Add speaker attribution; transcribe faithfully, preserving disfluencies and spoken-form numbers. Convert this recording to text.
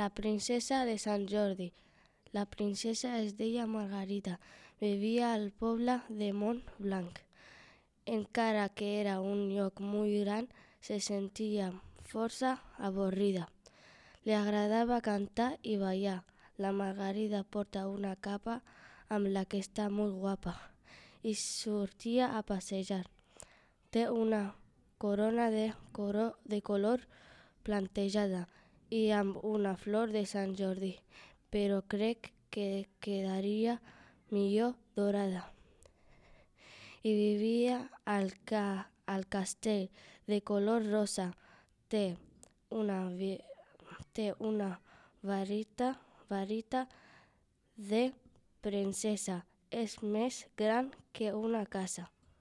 Speaker 1: La princesa de Sant Jordi. La princesa es deia Margarita. Vivia al poble de Montblanc. Encara que era un lloc molt gran, se sentia força avorrida. Li agradava cantar i ballar. La Margarida porta una capa amb la que està molt guapa i sortia a passejar. Té una corona de, coro, de color plantejada i amb una flor de Sant Jordi, però crec que quedaria millor dorada. I vivia al, ca, al castell de color rosa. Té una, té una varita, varita de princesa. És més gran que una casa.